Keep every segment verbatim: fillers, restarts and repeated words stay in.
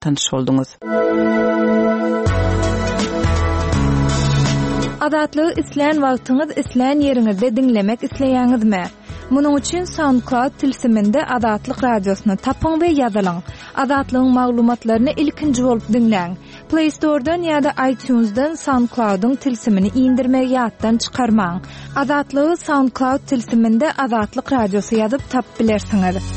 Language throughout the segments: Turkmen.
Tanyş bolduňyz. Azatlygy islän wagtyňyz, islän ýeriňizde diňlemek isleýäňizmi? Munuň üçin SoundCloud tilsiminde Azatlyk radiosyny tapyň we ýazylyň. Azatlygyň maglumatlaryny ilkinji bolup diňläň. Play Store'dan ýa-da iTunes'dan SoundCloud'yň tilsimini indirmegi ýatdan çykarmaň. Azatlygy SoundCloud tilsiminde Azatlyk radiosy ýazyp tapyp bilersiňiz.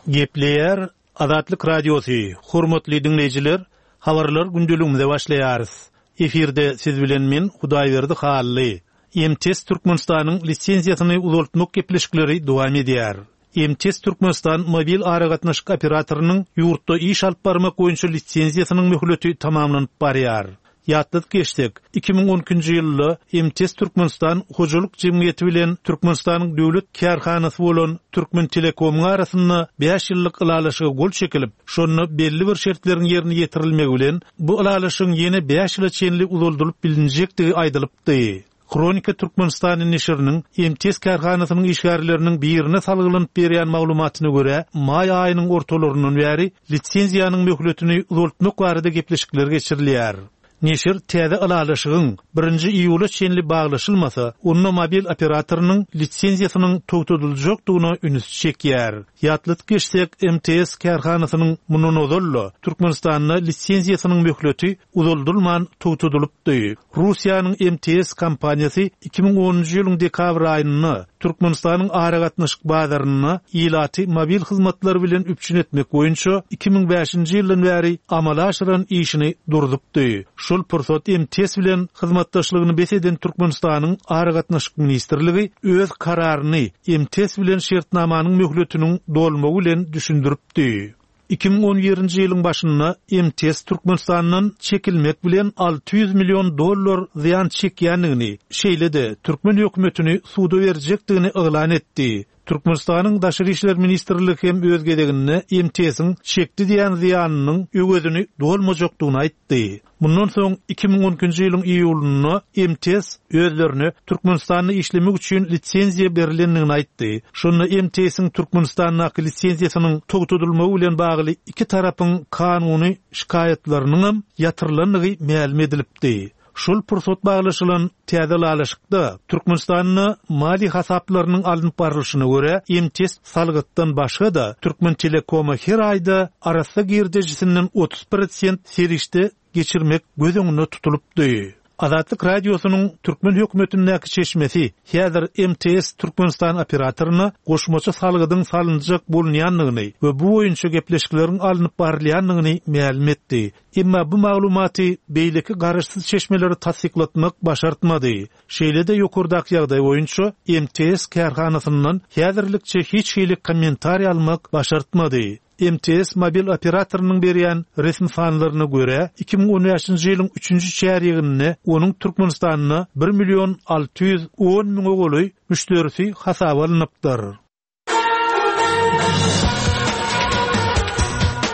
Gepleýär Azatlyk Radiosy, hormatly diňleýjiler, habarlar gündeligimize başlaýarys. Efirde siz bilen men Hudaýberdi Hally. M T S Türkmenistanyň lisenziýasyny uzaltmak gepleşikleri dowam edýär. M T S Türkmenistan mobil aragatnaşyk operatorynyň ýurtda iş alyp barmak boýunça lisenziýasynyň möhleti tamamlanyp barýar. Ýatladyk geçsek, iki müň on ikinji ýylda M T S Türkmenistan hojalyk jemgyýeti bilen Türkmenistanyň döwlet kärhanasy bolan Türkmen Telekomyň arasynda bäş ýyllyk ylalaşyga gol çekilip, şonda belli bir şertleriň ýerine ýetirilmegi bilen bu ylalaşygyň ýene bäş ýyla çenli uzaldylyp bilinjekdigi aýdylypdy. Kronika Türkmenistanyň neşiriniň M T S kärhanasynyň işgärleriniň birine salgylanyp berýän maglumatyna görä, maý aýynyň ortalaryndan bäri lisenziýanyň möhletini uzaltmak barada gepleşikler geçirilýär. Neşir täze ylalaşygyň birinji iýula çenli baglaşylmasa, onda mobil operatorynyň lisenziýasynyň togtadyljakdygyna üns çekýär. Ýatladyk geçsek, M T S kärhanasynyň mundan ozal Türkmenistanda lisenziýasynyň möhleti uzaldylman togtadylypdy. Russiýanyň M T S kompaniýasy iki müň onunjy ýylyň dekabr aýynda Türkmenistanyň aragatnaşyk bazarynda ilaty mobil hyzmatlar bilen üpjün etmek boýunça iki müň bäşinji ýyldan bäri amala aşyran işini durdupdy. Şol pursat M T S bilen hyzmatdaşlygyny bes eden Türkmenistanyň Aragatnaşyk Ministrligi öz kararyny M T S bilen şertnamanyň möhletiniň dolmagy bilen düşündiripdi. Iki müň on birinji ýylyň başynda M T S Türkmenistandan çekilmek bilen alty ýüz million dollar zyýan çekýändigini, şeýle-de türkmen hökümetini suda berjekdigini yglan etdi. Türkmenistanyň Daşary İşler Ministrligi hem öz gezeginde M T S-iň çekdi diýen zyýanynyň öwezini dolmajakdygyny aýtdy. Mundan soň iki müň on ikinji ýylyň iýulynda M T S özlerine Türkmenistanda işlemek üçin lisenziýa berilendigini aýtdy. Şonda M T S-iň Türkmenistandaky lisenziýasynyň togtadylmagy bilen bagly iki tarapyň kanuny şikaýatlarynyň hem ýatyrylandygy mälim edilipdi. Şol pursat baglaşylan täze ylalaşykda Türkmenistanda maliýe hasaplarynyň alnyp barlyşyna görä M T S salgytdan başga-da Türkmen Telekoma her aýda arassa girdejisinden otuz prosent serişde geçirmek göz öňünde tutulypdy. Azatlyk Radiosynyň Türkmen hökümetindäki çeşmesi häzir M T S Türkmenistan operatoryna goşmaça salgydyň salynjak bolunýandygyny we bu boýunça gepleşikleriň alnyp barylýandygyny mälim etdi. Emma bu maglumaty beýleki garaşsyz çeşmeleri tassyklatmak başartmady. Şeýle-de ýokardaky ýagdaý boýunça M T S kärhanasyndan häzirlikçe hiç hili kommentariý almak başartmady. M T S mobil operatorynyň berýän resmi sanlaryna görä iki müň on bäşinji ýylyň üçünji çärýeginde onuň Türkmenistanda bir million alty ýüz on müňe golaý müşderisi hasaba alnypdyr.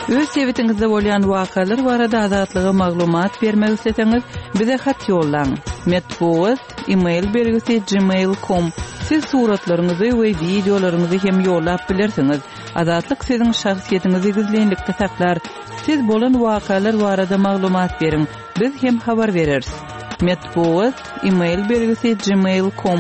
Öz sebitiňizde bolýan wakalar barada azatlyga maglumat bermek isleseňiz, bize hat ýollaň. Metbugat, e-mail belgisi gmail nokta com. Siz suratlaryňyzy we wideolaryňyzy hem ýollap bilersiňiz. Azatlyk siziň şahsyýetiňizi gizlinlikde saklar. Siz bolan wakalar barada maglumat beriň. Biz hem habar bereris. Metbugat, e-mail belgisi gmail nokta com.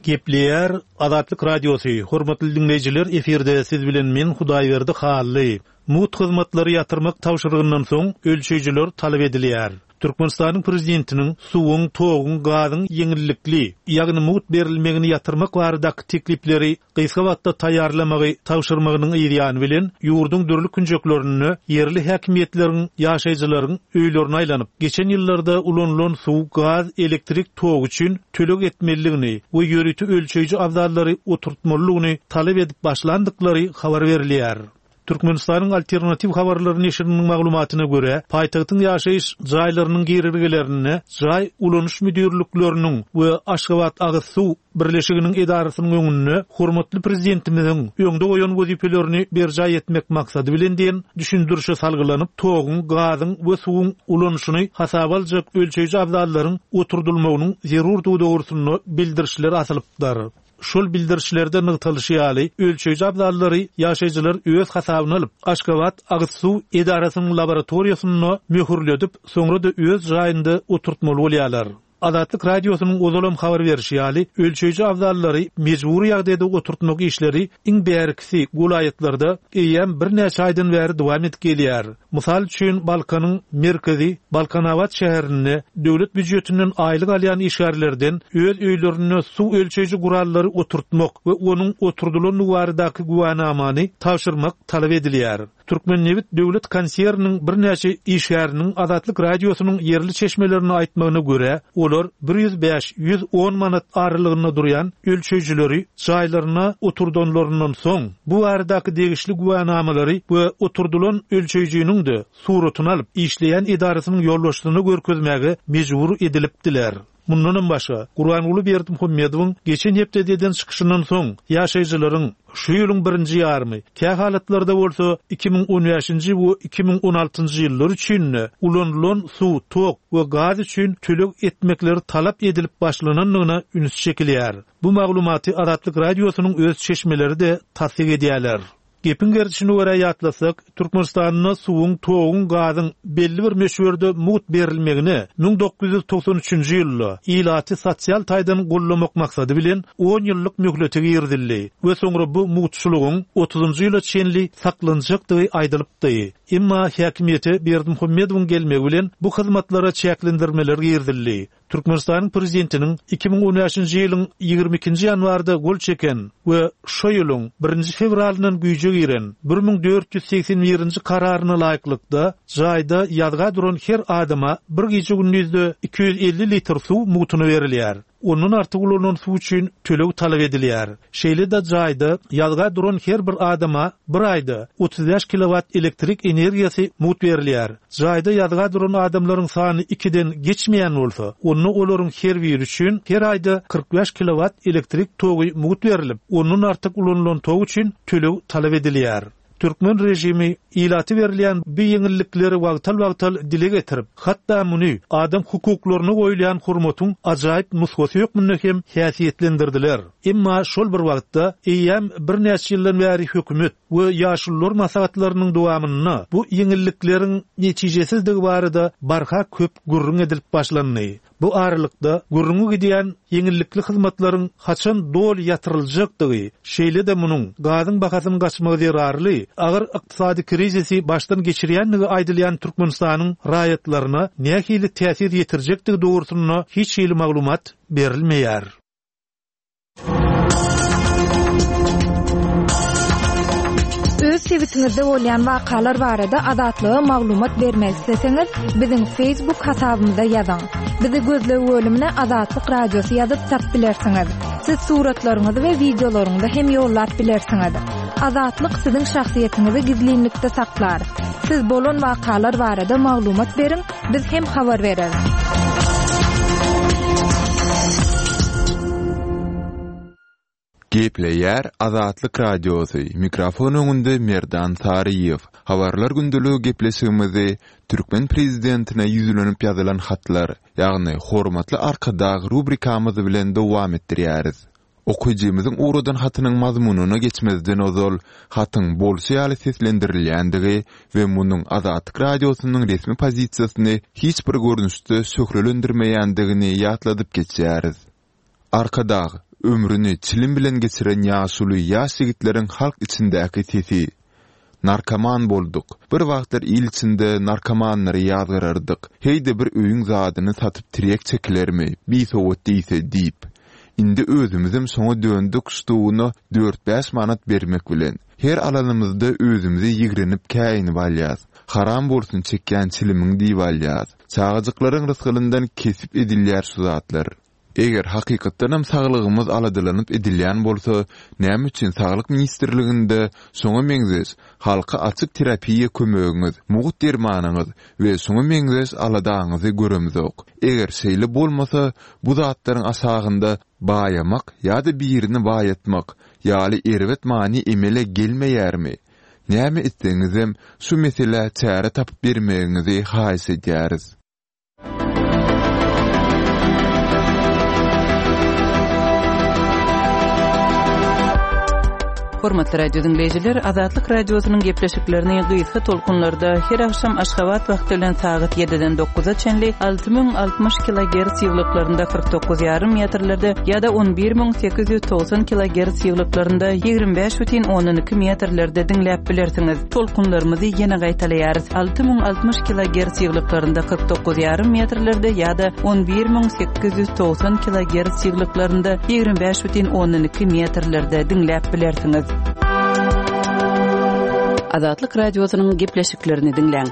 Gepleýär Azatlyk Radiosy. Hormatly dinleýjiler, efirde siz bilen men Hudaýberdi Hally. Mut hyzmatlary ýatyrmak tabşyrygyndan soň ölçeýjiler talap edilýär. Türkmenistanyň prezidentiniň suwuň, toguň, gazyň ýeňillikli, ýagny mut berilmegini ýatyrmak baradaky teklipleri gysga wagtda taýýarlamagy tabşyrmagynyň ýany bilen ýurduň dürli künjeklerinde ýerli häkimiýetleriň ýaşaýjylaryň öýlerine aýlanyp, geçen ýyllarda ulanylan suw, gaz, elektrik togy üçin töleg etmeliligini we ýörite ölçeýji abzallary oturtmalylygyny talap edip başlandyklary habar berilýär. Türkmenistanyň Alternatiw habarlary neşiriniň maglumatyna görä, paýtagtyň ýaşaýyş jaýlarynyň girelgelerinde jaý ulanyş müdirlikleriniň we Aşgabat agyz suw birleşiginiň edarasynyň öňünde hormatly prezidentimiziň öňde goýan wezipelerini berjaý etmek maksady bilen diýen düşündirişe salgylanyp, toguň, gazyň we suwuň ulanyşyny hasaba aljak ölçeýji abzallaryň oturdylmagynyň zerurdygy dogrusynda bildirişler asylypdyr. Şol bildirişlerde nygtalyşy ýaly, ölçeýji abzallary ýaşaýjylar öz hasabyna alyp, Aşgabat agyz suw edarasynyň laboratoriýasynda möhürledip, soňra-da öz jaýynda oturtmaly bolýarlar. Azatlyk Radiosynyň ozalam habar berişi ýaly, ölçeýji abzallary mejbury ýagdaýda oturtmak işleri iň bärkisi welaýatlarda eýýäm birnäçe aýdan bäri dowam edip gelýär. Mysal üçin, Balkanyň merkezi Balkanabat şäherinde döwlet býujetinden aýlyk alýan işgärlerden öz öýlerinde suw ölçeýji gurallary oturtmak we onuň oturdylan baradaky güwänamany tabşyrmak talap edilýär. Türkmennebit döwlet konserniniň birnäçe işgäriniň Azatlyk Radiosynyň ýerli çeşmelerini aýtmagyna görä, olar bir ýüz bäş ýüz on manat aralygynda durýan ölçeýjileri jaýlaryna oturdanlaryndan soň bu baradaky degişli güwänamalary we oturdylan ölçeýjiniň de suratyny alyp işleýän edarasynyň ýolbaşçysyna görkezmäge mejbur edilipdiler. Mundanam başga, Gurbanguly Berdimuhamedowyň geçen hepdede eden çykyşyndan soň ýaşaýjylaryň şu ýylyň birinji ýarymy, kä halatlarda bolsa iki müň on bäşinji we iki müň on altynjy ýyllar üçin ulanylan suw, tok we gaz üçin töleg etmekleri talap edilip başlanandygyna üns çekilýär. Bu maglumaty Azatlyk Radiosynyň öz çeşmeleri de tassyk edýärler. Gepiň gerdişini görä ýatlasak, Türkmenistanda suwuň, toguň, gazyň belli bir möçberde mugt berilmegine müň dokuz ýüz togsan üçünji ýylda ilaty sosial taýdan gollamak maksady bilen on ýyllyk möhleti girizildi we soňra bu mugtçulygyň otuzynjy ýyla çenli saklanjakdygy aýdylypdy. Emma häkimiýete Berdimuhamedowyň gelmegi bilen bu hyzmatlara çäklendirmeler girizildi. Türkmenistanyň prezidentiniň iki müň on bäşinji ýylyň ýigrimi ikinji ýanwarda gol çeken we şo ýylyň birinji fewralyndan güýje giren bir müň dört ýüz seksen birinji kararyna laýyklykda jaýda ýazga duran her adama bir gije gündizde iki ýüz elli litr suw mugtuna berilýär. Ondan artyk ulanan suw üçin töleg talap edilýär. Şeýle-de jaýda ýazga duran her bir adama bir aýda otuz bäş kilowat elektrik energiýasy mugt berilýär. Jaýda ýazga duran adamlaryň sany ikiden geçmeýän bolsa, onda olaryň her biri üçin her aýda kyrk bäş kilowat elektrik togy mugt berilip, ondan artyk ulanylan tok üçin töleg talap edilýär. Türkmen rejimi ilaty berilýän bu ýeňillikleri wagtal-wagtal dile getirip, hatda muny adam hukuklaryna goýulýan hurmatyň ajaýyp nusgasy hökmünde hem häsiýetlendirdiler. Emma şol bir wagtda eýýäm birnäçe ýyldan bäri hökümet we ýaşulular maslahatlarynyň dowamynda bu ýeňillikleriň netijesizligi barada barha köp gürrüň edilip başlandy. Bu aralykda gürrüňi gidýän ýeňillikli hyzmatlaryň haçan doly ýatyryljakdygy, şeýle-de munuň gazyň bahasynyň gaçmagy zerarly agyr ykdysady krizisi başdan geçirýändigi aýdylýan Türkmenistanyň raýatlaryna nähili täsir ýetirjekdigi dogrusynda hiç hili maglumat berilmeýär. Öz sebitiňizde bolýan wakalar barada Azatlyga maglumat bermek isleseňiz, biziň Facebook hasabymyza ýazyň. Bizi gözleg bölümine Azatlyk Radiosy ýazyp tap bilersiňiz. Siz suratlaryňyzy we wideolaryňyzy hem ýollap bilersiňiz. Azatlyk siziň şahsyýetiňizi gizlinlikde saklar. Siz bolan wakalar barada maglumat beriň, biz hem habar bereris. Gepleýär Azatlyk Radiosy. Mikrofon öňünde Merdan Saryýew. Habarlar gündeligi gepleşigimizi Türkmen prezidentine ýüzlenip ýazylan hatlar, ýagny Hormatly Arkadag rubrikamyz bilen dowam etdirýäris. Okyjymyzyň ugradan hatynyň mazmunyna geçmezden ozal hatyň bolşy ýaly seslendirilýändigi we munuň Azatlyk Radiosynyň resmi pozisiýasyny hiç bir görnüşde şöhlelendirmeýändigini ýatladyp geçýäris. Arkadag ömrüni çilim bilen geçiren ýaşuly ýaş ýigitleriň halk içindäki sesi. Narkoman bolduk. Bir wagtlar il içinde narkomanlary ýazgyrardyk. Heýde bir öýüň zadyny satyp tirek çekilermi, bisowat diýse diýip. Indi özümizem şoňa döndük ştugyna dört bäş manat bermek bilen. Her alanymyzda özümizi ýigrenip käýinip alýas. Haram bolsun çekýän çilimiň diýip alýas. Çagajyklaryň rysgylyndan kesip edilýär şu zatlar. Eger hakykatdanam saglygymyz aladalanyp edilýän bolsa, näme üçin Saglyk ministrliginde şoňa meňzeş halka açyk terapiýa kömegiňiz, mugt dermanyňyz we şoňa meňzeş aladaňyzy göremzok? Eger şeýle bolmasa, bu zatlaryň aşagynda baýamak ýa-da birini baýatmak ýaly erbet many emele gelmeýärmi? Näme etseňizem, şu meselä çäre tapyp bermegiňizi haýyş edýäris. Hormatly radio diňleýjiler, Azatlyk Radiosynyň gepleşiklerini gysga tolkunlarda her agşam Aşgabat wagty bilen sagat ýediden dokuza çenli alty müň altmyş kilogerts ýyglyklarynda kyrk dokuz ýarym metrlerde ýa-da on bir müň sekiz ýüz togsan kilogerts ýyglyklarynda ýigrimi bäş bütin ondan iki metrlerde diňläp bilersiňiz. Tolkunlarymyzy ýene gaýtalaýarys. Alty müň altmyş kilogerts ýyglyklarynda kyrk dokuz ýarym metrlerde ýa-da on bir müň sekiz ýüz togsan kilogerts ýyglyklarynda ýigrimi bäş bütin ondan iki metrlerde diňläp bilersiňiz. Azatlyk Radiosynyň gepleşiklerini diňläň.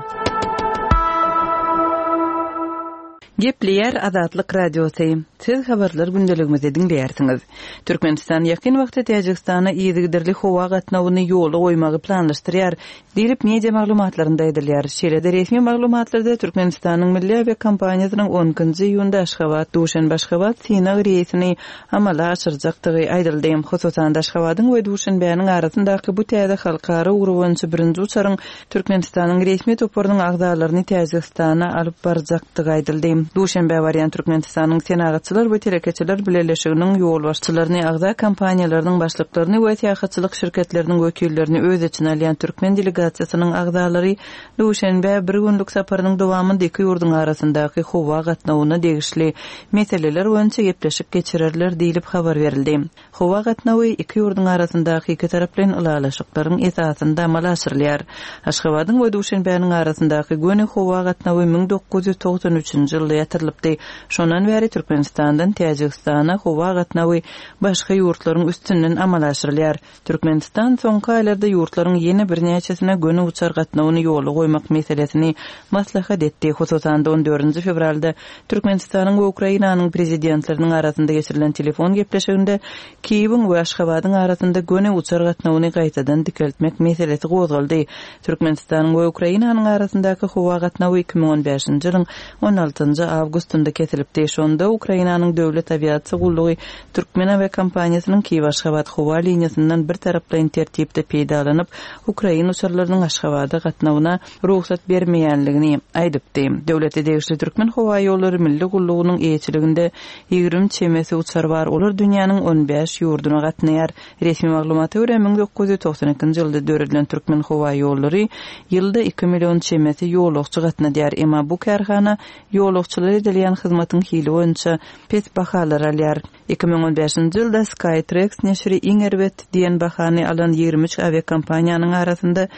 Gepleýär Azatlyk Radiosy. Siz habarlar gündeligimizi diňleýärsiňiz. Türkmenistan ýakyn wagtda Täjigistana yzygiderli howa gatnawyny ýola goýmagy planlaşdyrýar, diýlip media maglumatlarynda aýdylýar. Şeýle-de resmi maglumatlarda Türkmenistanyň Milli awiakompaniýasynyň on ikinji iýunda Aşgabat, Duşenbe Aşgabat synag reýsini amala aşyrjakdygy aýdyldy. Hususan Aşgabadyň we Duşenbäniň arasyndaky bu täze halkara ugry boýunça birinji uçaryň Türkmenistanyň resmi toparynyň agzalaryny Täjigistana alyp barjakdygy aýdyldy. Duşenbä barýan Türkmenistanyň Senagatçylar we Telekeçiler Bileleşiginiň ýolbaşçylaryny, agza kompaniýalarynyň başlyklaryny we syýahatçylyk şirketleriniň wekillerini öz içine alýan türkmen delegasiýasynyň agzalary Duşenbä bir günlük saparynyň dowamynda iki ýurduň arasyndaky howa gatnawyna degişli meseleler boýunça gepleşik geçirerler diýlip habar berildi. Howa gatnawy iki ýurduň arasyndaky iki taraplaýyn ylalaşyklaryň esasynda amala aşyrylýar. Aşgabadyň we Duşenbäniň arasyndaky göni howa gatnawy müň dokuz ýüz togsan üçünji ýylda ýatyrylypdy. Şondan bäri Türkmenistandan Täjigistana howa gatnawy başga ýurtlaryň üstünden amala aşyrylýar. Türkmenistan soňky aýlarda ýurtlaryň ýene birnäçesine göni uçar gatnawyny ýola goýmak meselesini maslahat etdi. Hususan on dördünji fewralda Türkmenistanyň we Ukrainanyň prezidentleriniň arasynda geçirilen telefon gepleşiginde Kiýewiň we Aşgabadyň arasynda göni uçar gatnawyny gaýtadan dikeltmek meselesi gozgaldy. Türkmenistanyň we Ukrainanyň arasyndaky howa gatnawy iki müň on bäşinji ýylyň on altynjy awgustynda kesilipdi. Şonda Ukrainanyň döwlet awiasiýa gullugy Türkmen awiakompaniýasynyň Kiýew Aşgabat howa liniýasyndan bir taraplaýyn tertipde peýdalanyp, Ukraina uçarlarynyň Aşgabada gatnawyna rugsat bermeýänligini aýdypdy. Döwlete degişli Türkmen howa ýollary milli gullugynyň eýeçiliginde ýigrimi çemesi uçar bar. Olar dünýäniň on bäş ýurduna gatnaýar. Resmi maglumata görä müň dokuz ýüz togsan ikinji ýylda döredilen Türkmen howa ýollary ýylda iki million çemesi ýolagçy gatnadýar. Emma bu kärhana ýolagçylara edilýän hyzmatyň hili boýunça pes bahalar alýar. Iki müň on bäşinji ýylda Skytrax neşiri iň erbet diýen bahany alan ýigrimi üç awiakompaniýanyň arasynda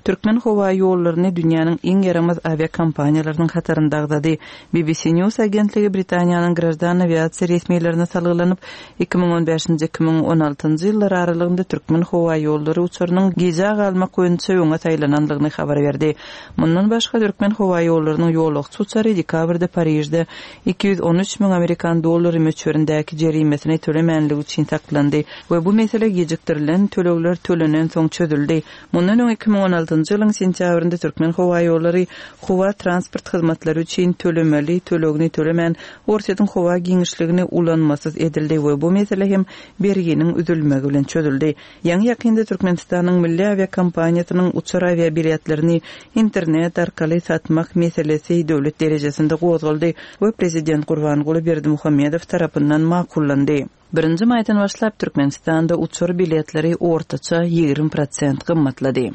Türkmen howa ýollaryny dünýäniň iň ýaramaz awiakompaniýalarynyň hatarynda agzady. B B C News agentligi Britaniýanyň graždan awiasiýa resmilerine salgylanyp, iki müň on bäşinji, iki müň on altynjy ýyllar aralygynda Türkmen howa ýollary uçarynyň gijä galmak boýunça öňe saýlanandygyny habar berdi. Mundan başga Türkmen howa ýollarynyň ýolagçy uçary dekabrda Parižde iki ýüz on üç müň amerikan dollary möçberindäki jerimesini tölemänligi üçin saklandy we bu mesele gijikdirilen tölegler tölenen soň çözüldi. Mundan öň iki müň on altynjy ýylyň sentýabrynda Türkmen howa ýollary howa transport hyzmatlary üçin tölemeli tölegini tölemän Orsýetiň howa giňişligini ulanmasyz edildi we bu mesele hem berginiň üzülmegi bilen çözüldi. Ýaňy ýakynda Türkmenistanyň Milli awiakompaniýasynyň uçar awiabiletlerini internet arkaly satmak meselesi döwlet derejesinde gozgaldy we prezident Gurbanguly Berdimuhamedow tarapyndan makullandy. Birinji maýdan başlap Türkmenistanda uçar biletleri ortaça ýigrimi prosent gymmatlady.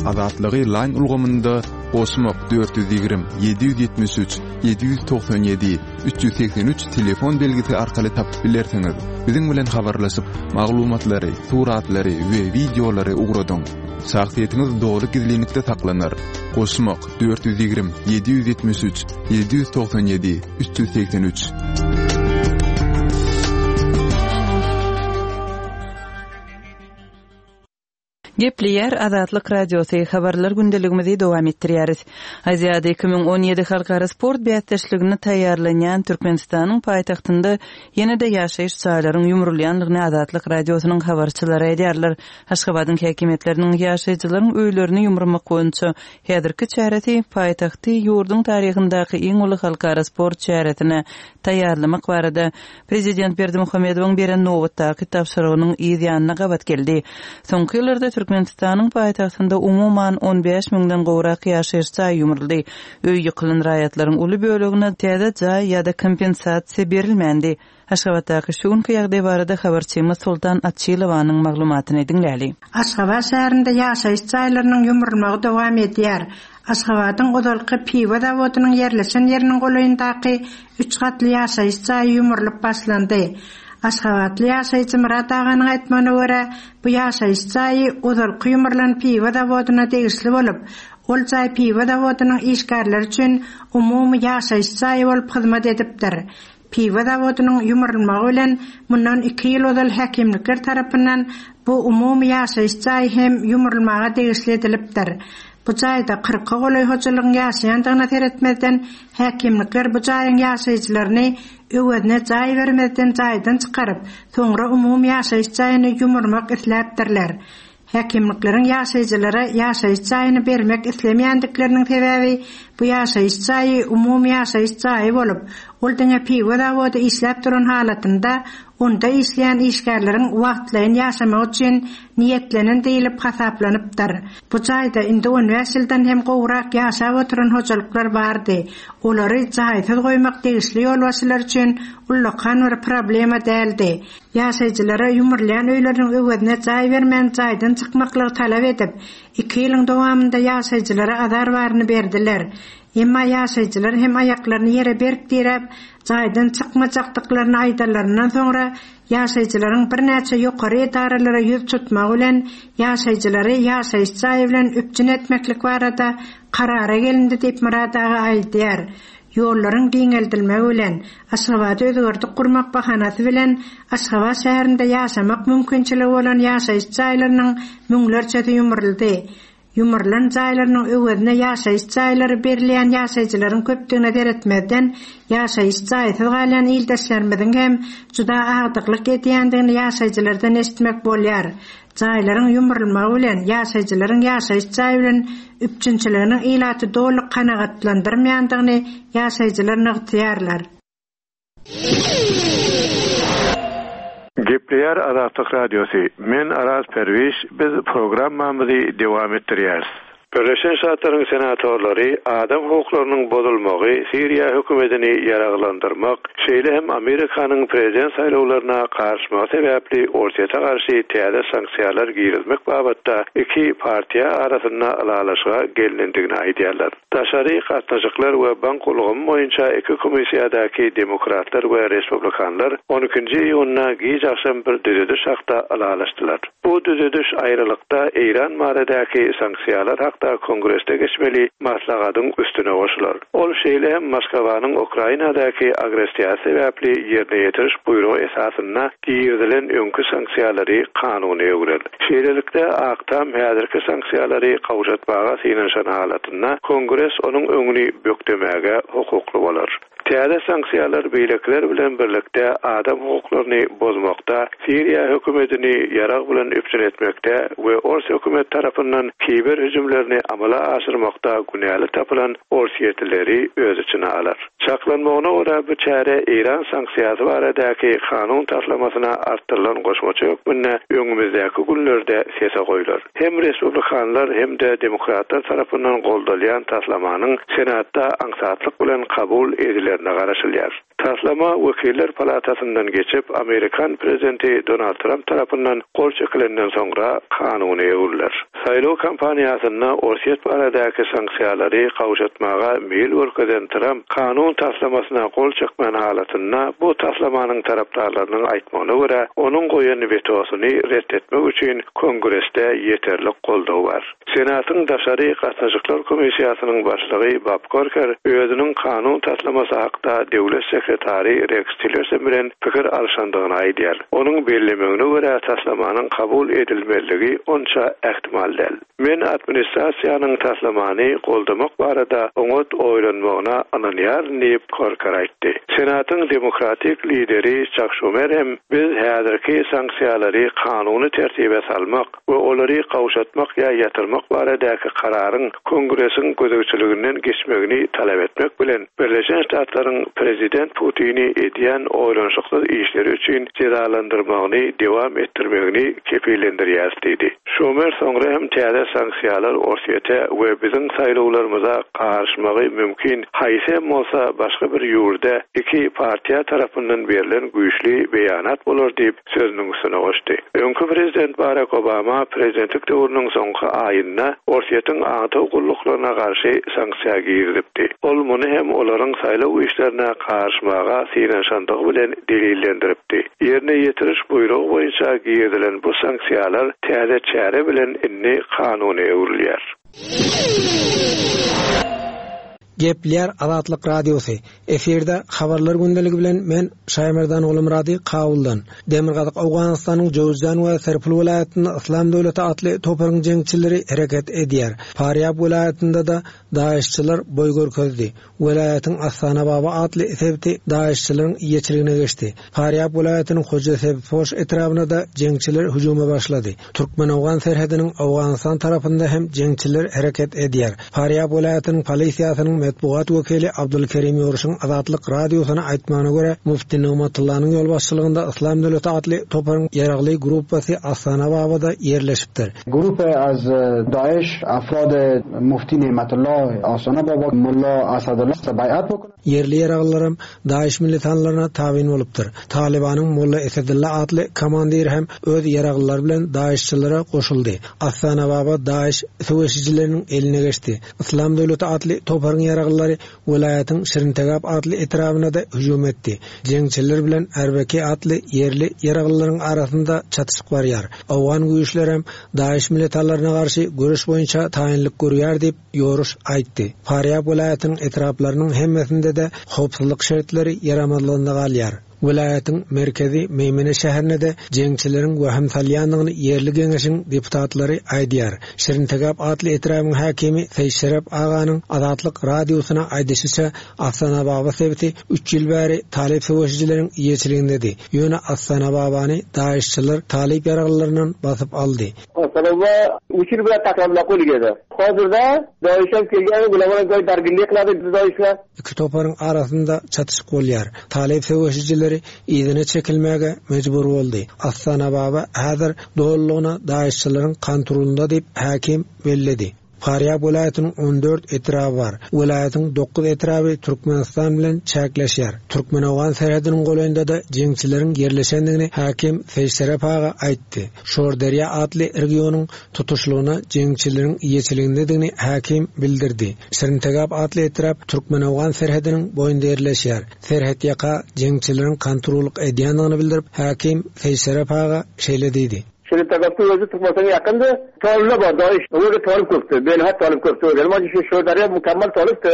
Azatlygy line ulgamynda goşmak dört ýüz ýigrimi, ýedi ýüz ýetmiş üç, ýedi ýüz togsan ýedi, üç ýüz segsen üç telefon belgisi arkaly tapyp bilersiňiz. Biziň bilen habarlaşyp, maglumatlary, suratlary we wideolary ugradyň. Şahsyýetiňiz dogry gizlinlikde saklanar. Goşmak dört ýüz ýigrimi, ýedi ýüz ýetmiş üç, ýedi ýüz togsan ýedi, üç ýüz segsen üç. Gepleýär Azatlyk Radiosy, habarlar gündeligimizi dowam etdirýäris. Aziada iki müň on ýedi halkara sport bäsdeşligine taýýarlanýan Türkmenistanyň paýtagtynda ýene-de ýaşaýyş jaýlaryň ýumrulýandygyny Azatlyk Radiosynyň habarçylary aýdýarlar. Aşgabadyň häkimiýetleriniň ýaşaýjylaryň öýlerini ýumurmak boýunça häzirki çäresi paýtagty ýurduň taryhyndaky iň uly halkara sport çäresine taýýarlamak barada Prezident Berdimuhamedowyň beren nobatdaky tabşyrygynyň yz ýanyna gabat geldi. Soňky ýyllarda Türkmenistanyň paýtagtynda umuman on bäş müňden gowrak ýaşaýyş jaýy ýumruldy. Öý ýykylan raýatlaryň uly bölegine täze jaý ýa-da kompensasiýa berilmändi. Aşgabatdaky şu günki ýagdaý barada habarçymyz Sultan Açylowanyň maglumatyny diňläli. Aşgabat şäherinde ýaşaýyş jaýlarynyň ýumrulmagy dowam edýär. Aşgabadyň ozalky piwo zawodynyň ýerleşen ýeriniň golaýyndaky üç gatly ýaşaýyş jaýy ýumrulyp başlandy. Aşgabatly ýaşaýjy Myrat aganyň aýtmagyna görä, bu ýaşaýyş jaýy ozalky ýumrulan piwo zawodyna degişli bolup, ol jaý piwo zawodynyň işgärleri üçin umumy ýaşaýyş jaýy bolup hyzmat edipdir. Piwo zawodynyň ýumrulmagy bilen mundan iki ýyl ozal häkimlikler tarapyndan bu umumy ýaşaýyş jaýy hem ýumrulmaga degişli edilipdir. Bu jaýda kyrka golaý hojalygyň ýaşaýandygyna seretmezden häkimlikler bu jaýyň ýaşaýjylaryny öwezine jaý bermezden jaýdan çykaryp, soňra umumy ýaşaýyş jaýyny ýumurmak isläpdirler. Häkimlikleriň ýaşaýjylara ýaşaýyş jaýyny bermek islemeýändikleriniň sebäbi bu ýaşaýyş jaýy umumy ýaşaýyş jaýy bolup, ol diňe piwo zawody işläp duran halatynda onda işleýän işgärleriň wagtlaýyn ýaşamagy üçin niýetlenen diýilip hasaplanypdyr. Bu jaýda indi on bäş ýyldan hem gowrak ýaşap oturan hojalyklar bardy. Olary jaýsyz goýmak degişli ýolbaşçylar üçin ullakan bir problema däldi. Ýaşaýjylara ýumrulýan öýleriniň öwezine jaý bermän jaýdan çykmaklygy talap edip, iki ýylyň dowamynda ýaşaýjylara azar baryny berdiler. Emma ýaşaýjylar hem aýaklaryny ýere berk diräp, jaýdan çykmajakdyklaryny aýdanlaryndan soňra ýaşaýjylaryň birnäçe ýokary edaralara ýüz tutmagy bilen ýaşaýjylary ýaşaýyş jaýy bilen üpjün etmeklik barada karara gelindi diýip Myrat aga aýdýar. Ýollaryň giňeldilmegi bilen Aşgabady özgerdip gurmak bahanasy bilen Aşgabat şäherinde ýaşamak mümkinçiligi bolan ýaşaýyş jaýlarynyň müňlerçesi ýumruldy. Ýumrulan jaýlarynyň öwezine ýaşaýyş jaýlary berilýän ýaşaýjylaryň köpdügine seretmezden ýaşaýyş jaýsyz galýan ildeşlerimiziň hem juda agdyklyk edýändigini ýaşaýjylardan eşitmek bolýar. Jaýlaryň ýumrulmagy bilen ýaşaýjylaryň ýaşaýyş jaýy bilen üpjünçiliginiň ilaty doly kanagatlandyrmaýandygyny ýaşaýjylar nygtaýarlar. Gepleýär Azatlyk Radiosy. Men Araz Perwiş, biz programmamyzy dowam etdirýäris. Birleşen Ştatlaryň senatorlary adam hukuklarynyň bozulmagy, Siriýa hökümetini ýaraglandyrmak, şeýle hem Amerikanyň prezident saýlawlaryna garşymagy sebäpli Orsýete garşy täze sanksiýalar girizmek babatda iki partiýa arasynda ylalaşyga gelinendigini aýdýarlar. Daşary gatnaşyklar we bank ulgamy boýunça iki komissiýadaky demokratlar we respublikanlar on ikinji iýunda giç agşam bir düzediş hakda ylalaşdylar. Bu düzediş aýrylykda Eýran baradaky sanksiýalar hakda kongresde geçmeli maslahatyň üstüne goşular. Ol şeýle hem Moskwanyň Ukrainadaky agressiýasy sebäpli ýerine ýetiriş buýrugy esasynda girizilen öňki sanksiýalary kanuny öwrel. Şeýlelikde Ak Tam häzirki sanksiýalary gowşatmaga synanyşan halatynda Kongres onuň öňüni bökdemäge hukukly bolar. Täze sanksiýalar beýlekiler bilen birlikde adam hukuklaryny bozmakda, Siriýa hökümetini ýarag bilen üpjün etmekde we Ors hökümet tarapyndan kiber hüjümlerini amala aşyrmakda günäli tapylan Orsýetlileri öz içine alar. Çaklanmagyna görä bu çäre Eýran sanksiýasy baradaky kanun taslamasyna artdyrylan goşmaça hökmünde öňümizdäki günlerde sese goýlar. Hem respublikanlar hem-de demokratlar tarapyndan goldalýan taslamanyň Senatda aňsatlyk bilen kabul edilerine garaşylýar. Taslama Wekiller palatasyndan geçip, Amerikan prezidenti Donald Trump tarapyndan gol çekilenden soňra kanuny öwrüler. Saýlaw kampaniýasynda Orsýet baradaky sanksiýalary gowşatmaga meýil görkezen Trump kanun taslamasyna gol çekmän halatynda bu taslamanyň tarapdarlarynyň aýtmagyna görä onuň goýan wetosyny ret etmek üçin Kongresde ýeterlik goldaw bar. Senatyň daşary gatnaşyklar komissiýasynyň başlygy Bob Corker özüniň kanun taslamasy hakda döwlet sekretary Rex Tillerson bilen pikir alşandygyny aýdýar. Onuň bellemegine görä taslamanyň kabul edilmezligi onça ähtimal däl. Men administrasiýanyň taslamany goldamak barada oňat oýlanmagyna ynanýaryn diýip Corker aýtdy. Senatyň demokratik lideri Chuck Schumer hem biz häzirki sanksiýalary kanuny tertibe salmak we olary gowşatmak ýa ýatyrmak baradaky kararyň Kongresiň gözegçiliginden geçmegini talap etmek bilen Birleşen Ştatlaryň prezident Putini edýän oýlanyşyksyz işleri üçin jezalandyrmagyny dewam etdirmegini kepillendirýär diýdi. Schumer soňra hem täze sanksiýalar Orsýete we biziň saýlawlarymyza garyşmagy mümkin haýsy hem bolsa başga bir ýurda iki partiýa tarapyndan berlen güýçli beýanat bolar diýip sözüniň üstüne goşdy. Öňki prezident Barack Obama prezidentlik döwrüniň soňky aýynda Orsýetiň aňtaw gulluklaryna garşy sanksiýa girizipdi. Ol muny hem olaryň saýlaw işlerine garyşmaga synanyşandygy bilen delillendiripdi. Ýerine ýetiriş buýrugy boýunça girizilen bu sanksiýalar täze çäre bilen indi kanuny öwrülýär. Gepleýär Azatlyk Radiosy. Efirde habarlar gündeligi bilen men Şaýmerdan Gulumrady Kabuldan. Demirgazyk Owganystanyň Jowzjan we Serpil welaýatynda Islam döwleti atly toparyň jeňçileri hereket edýär. Farýab welaýatynda-da DAEŞçiler boý görkezdi. Welaýatyň Astana Baba atly sebiti DAEŞçileriň eýeçiligine geçdi. Farýab welaýatynyň Hoja Sebpoş etrabynda da jeňçiler hüjüme başlady. Türkmen-Owgan serhediniň Owganystan tarapynda hem jeňçiler hereket edýär. Farýab welaýatynyň polisiýasynyň metbugat wekili Abdulkerim Ýoruşyň Azatlyk radiosyna aýtmagyna görä, Mufti Nigmatullanyň ýolbaşçylygynda Islam döwleti atly toparyň ýaragly gruppasy Astana Babada ýerleşipdir. Grup az Daesh afrad Mufti Nimetullah Astana Baba Mulla Asadullah bayat bokun. Ýerli ýaraglylaram Daesh militanlaryna tabyn bolupdyr. Talibanyň Molla Esedullah atly komandiri hem öz ýaraglylary bilen Daeşçilere goşuldy. Astana Baba Daesh söweşijileriniň eline geçdi. Islam döwleti atly toparyň ýaraglylary welaýatyň Şirintegap atly etrabyna da hüjüm etdi. Jeňçiler bilen Erbeki atly ýerli ýaraglylaryň arasynda çatyşyk barýar. Owgan güýçleri hem Daesh militanlaryna garşy göreş boýunça taýynlyk görýär diýip Ýoruş aýtdy. Farýab welaýatynyň etraplarynyň hemmesinde de howpsuzlyk şertleri ýaramazlygynda galýar. Welaýatyň merkezi Meýmene şäherinde de jeňçileriň wehim salýandygyny ýerli geňeşiň deputatlary aýdýar. Şirintegap atly etrabyň häkimi Seýşerep aganyň Azatlyk radiosyna aýdyşyça Astana Baba sebiti üç ýyl bäri talyp söweşijileriň eýeçiligindedi. Ýöne Astana Babany DAEŞçiler talyp ýaraglylaryndan basyp aldy. Astana Baba üç ýyl bäri taklamla qo'lgedi. Hozirda DAEŞ ham kelgan, ular bilan joy darginlik qiladi DAEŞlar. Iki toparyň arasynda çatyşyk bolýar. Talyp söweşijileri yzyna çekilmäge mejbur boldy. Astana Baba häzir dolulygyna DAEŞçileriň kontrolunda diýip häkim belledi. Farýab welaýatynyň on dört etraby bar. Welaýatyň dokuz etraby Türkmenistan bilen çäkleşýär. Türkmen-Owgan serhediniň golaýynda da jeňçileriň ýerleşendigini häkim Seýşerep aga aýtdy. Şorderýa atly regionyň tutuşlygyna jeňçileriň eýeçiligindedigini häkim bildirdi. Şirintegap atly etrap Türkmen-Owgan serhediniň boýunda ýerleşýär. Serhet ýaka jeňçileriň kontrollyk edýändigini bildirip, häkim Seýşerep aga şeýle diýdi. Şirintegapda özü Türkmenistana yakındı. Toluna var, DAEŞ. Orada talip köptü. Belhat talip köptü. Ama şu Şorderya mükemmel talipti.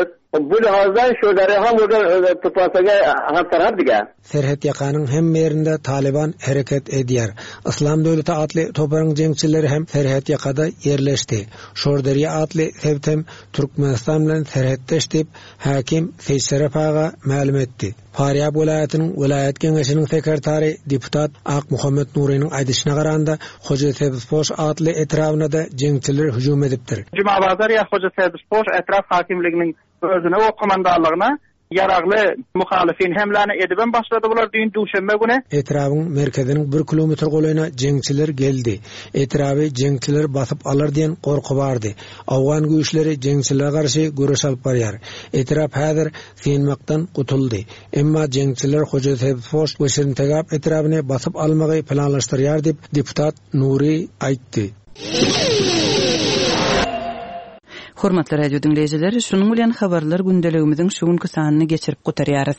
Bu lihazdan Şorderya ham orada Türkmenistana ham taraf diga. Serhet ýakanyň hem ýerinde Taliban hereket edýär. Islam döwleti atly toparyň jeňçileri hem serhet ýakada ýerleşdi. Şorderýa atly sebit hem Türkmenistan bilen serhetdeş diýip häkim Seýşerep aga mälim etdi. Farýab welaýatynyň welaýat geňeşiniň sekretary deputat Akmuhammet Nurynyň aýdyşyna garanda Hoja Sebspoş atly etrabyna da jeňçiler hüjüm edipdir. Jumabazar ýa Hoja Sebspoş etrap hakimliginiň özüne o komandanlygyna ýaragly muhalifin hemläni edibem başlady bular düýn duşenbe güni. Etrabyň merkeziniň bir kilometr golaýyna jeňçiler geldi. Etraby jeňçiler basyp alar diýen gorky bardy. Owgan güýçleri jeňçilere garşy göreş alyp barýar. Etrap häzir synmakdan gutuldy. Emma jeňçiler Hoja Sebspoş we Şirintegap etrabyny basyp almagy planlaşdyrýar diýip deputat Nuri aýtdy. Hormatly radio diňleýjiler, şunuň bilen habarlar gündeligimiziň şu günki sanyny geçirip gutarýarys.